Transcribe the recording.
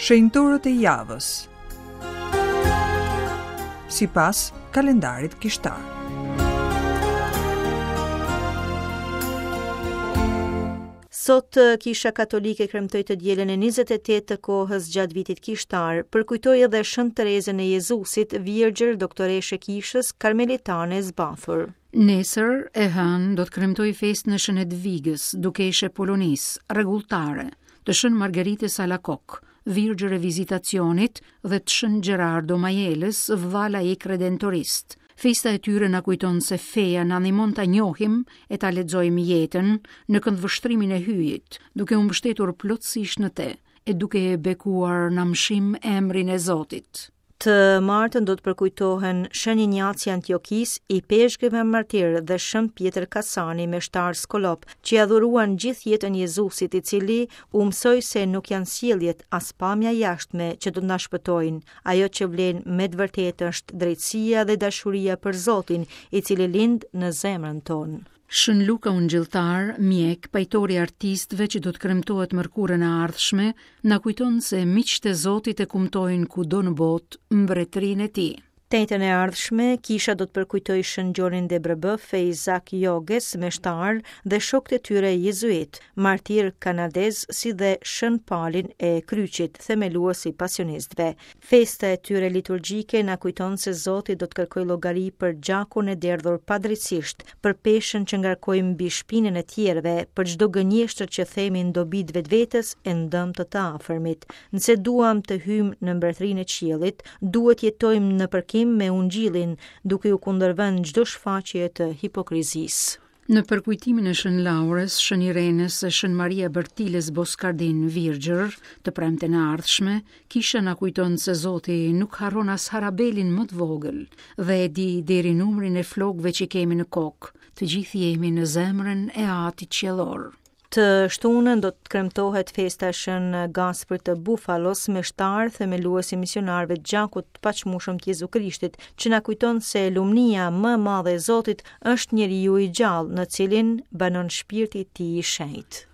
Shenjtorët e javës. Sipas kalendarit kishtar. Sot Kisha Katolike kremtoi të dielën e 28 të kohës gjatë vitit kishtar, përkujtoi edhe Shën Terezën e Jezusit, virgjër doktoreshë e Kishës Karmelitane e zbathur. Nesër, e hënë, do të kremtojë festën e Shën Edvigës, dukeshë e Polonisë, rregulltare, të Shën Margaritës Alakok, virgjër e Vizitacionit dhe të Shën Gerardo Majelës, vëlla laik redentorist. Festa e tyre na kujton se feja na ndihmon ta njohim e ta lexojmë jetën në këndvështrimin e Hyjit, duke u mbështetur plotësisht në te e duke e bekuar në amshim emrin e Zotit. Të martën do të përkujtohen Shën Injaci i Antiokisë, ipeshkëv e martir dhe Shën Pjetër Kasani, meshtar skollop, që ia dhuruan gjithë jetën Jezusit, i cili u mësoi se nuk janë sjelljet as pamja e jashtme që do të na shpëtojnë. Ajo që vlen me të vërtetë është drejtësia dhe dashuria për Zotin, i cili lind në zemrën tonë. Shën Luka Ungjilltar, mjek, pajtor i artistëve që do të kremtohet mërkurën e ardhshme, na kujton se miqtë e Zotit e kumtojnë kudo në botë mbretërinë e tij. Të enjten e ardhshme, kisha do të përkujtojë Shën Gjonin de Brebeuf e Izak Jogues, meshtar, dhe shokët e tyre jezuitë, martirë kanadezë, si dhe Shën Palin e Kryqit, themelues i pasionistëve. Festa e tyre liturgjike na kujton se Zoti do të kërkojë llogari për gjakun e derdhur padrejtësisht, për peshën që ngarkojmë mbi shpinën e tjerëve, për çdo gënjeshtër që themi në dobi të vetvetes e në dëm të të afërmit. Nëse duam të hyjmë në mbretërinë e qiellit, duhet të jetojmë në përkim me Ungjillin, duke iu kundërvënë çdo shfaqjeje të hipokrizisë. Në përkujtimin e Shën Laurës, Shën Irenës e Shën Maria Bertilës Boskardin Virgjër, të premten e ardhshme, kisha na kujton se Zoti nuk harron as harabelin më të vogël dhe e di deri numrin e flokëve që kemi në kokë. Të gjithë jemi në zemrën e Atit Qiellor. Të shtunën do të kremtohet festa e Shën Gasprit të Bufalos, meshtar, themelues i misionarëve të gjakut të paçmueshëm të Jezu Krishtit, që na kujton se lumnia më e madhe e Zotit është njeriu i gjallë, në cilin banon shpirti i tij i shenjtë.